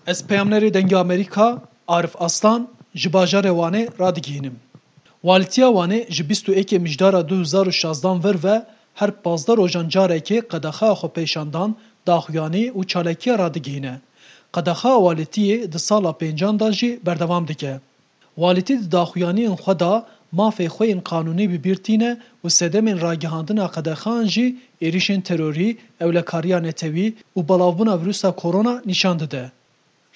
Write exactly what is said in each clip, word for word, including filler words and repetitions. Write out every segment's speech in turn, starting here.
Ez peyamnerê Dengê Amerîka, Arif Aslan, ji bajarê Wanê radigihînim. Walîtiya Wanê ji bîst û yekê Mijdara du hezar û şazdan vir ve her pazdeh rojan carekê qedexeya xwepêşandan, daxuyanî û çalekiya radigihîne. Qedexeya walîtiyê di sala pêncan de jî berdewam dike. Walîtî di daxuyaniyên xwe de mafê xwe yên qanûnî bi bîr tîne û sedemên ragihandina qedexeyan jî êrîşên terorî, ewlekariya netewî û belavbûna vîrusa korona nîşan dide.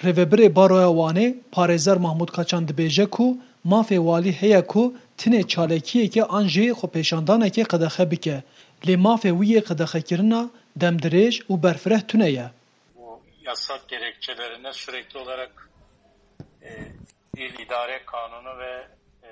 Rêvebirê Baroya Wanê, parêzer Mahmûd Kaçan dibêje ku mafê walî heye ku tinê çalekiyeke an jî xwepêşandanekê qedexe bike, lê mafê wî yê qedexekirina demdirêj û berfireh tune ye. Bu yasak gerekçelerine sürekli olarak e, il idare kanunu ve e,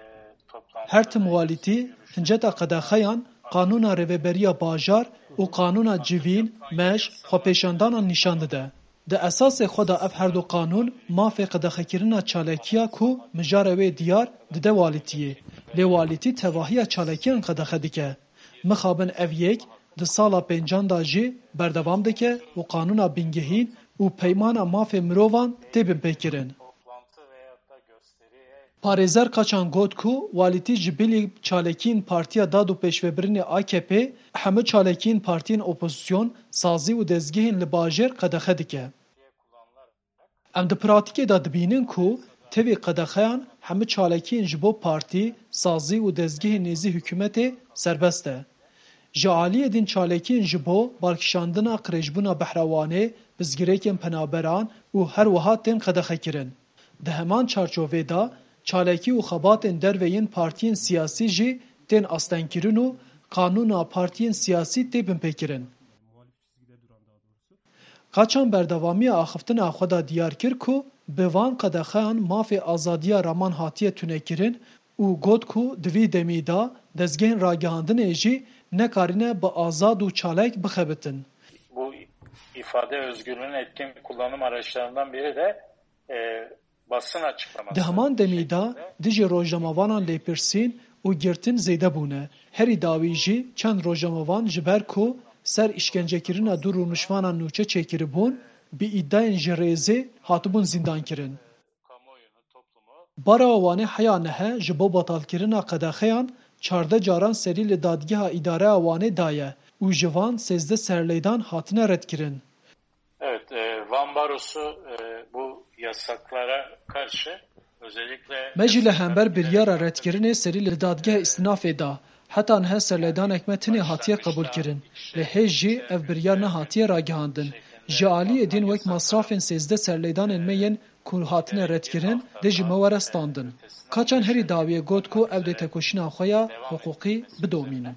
toplantı Her tim walîtî hinceta qedexeyan, qanûna rêveberiya bajar û qanûna civîn, mej, xwepêşandanan nîşan dide. Di esasê xwe de ev herdu qanûn mafê qedexekirina çalekiya ku mijara wê diyar dide walîtiyê. Lê walîtî tevahiya çalekiyan qedexe dike. Mixabin ev yek di sala pêncan de jî berdewam dike û qanûna bingehîn û peymana mafê mirovan tê binpêkirin. Parêzer Kaçan got ku walîtî ji bilî çalekiyên Partiya Dad û Pêşvebirinê A K P hemû çalekiyên partiyên opozîsyon, sazî û dezgehên li bajêr qedexe dike. Em di pratîkê de dibînin ku tevî qedexeyan hemû çalekiyên ji bo partî, sazî û dezgehên nêzî hikûmetê serbest e. Ji aliyê din çalekiyên ji bo balkişandina qirêjbûna Behra Wanê, pirsgirêkên penaberan û her wiha tên qedexekirin. Di heman çarçovê de çalekî û xebatên derve yên partiyên siyasî jî tên astengkirin û qanûna partiyên siyasî tê binpêkirin. Qaçan berdewamiya axiftina xwe de diyar kir ku bi van qedexeyan mafê azadiya raman hatiye tunekirin û got ku di vî demî de dezgehên ragihandinê jî nekarîne bi azad û çalek bixebitin. Bu ifade özgürlüğünün etkin kullanım araçlarından biri de e, basın açıklaması Di heman demî de şeklinde dijî rojnamevanan lêpirsîn û girtin zêde bûne. Herî dawî jî çend rojnamevan ji ber ku ser îşkencekirina du rûniştvanan nûçe çêkiribûn, bi îdayên ji rêzê hatibûn zîndankirin. Baroya Wanê heya nihe ji bo betalkirina qedexeyan çardeh caran serî li Dadgeha Îdareya Wanê daye û ji van sêzdeh serlêdan hatine redkirin. Evet, e, Van Barosu e, bu yasaklara karşı özellikle Me jî li hember biryara redkirinê serî li Dadgeha Îstinafê da. Heta niha serlêdanek me tinê hatiye qebûlkirin. Lê hêj jî ev biryar nehatiye ragihandin. Ji aliyê din wek masrafên sêzdeh serlêdanên me yên ku hatine redkirin, dê ji me were standin. Kaçan herî dawiyê got ku ew dê tekoşîna xwe ya hiqûqî bidomînin.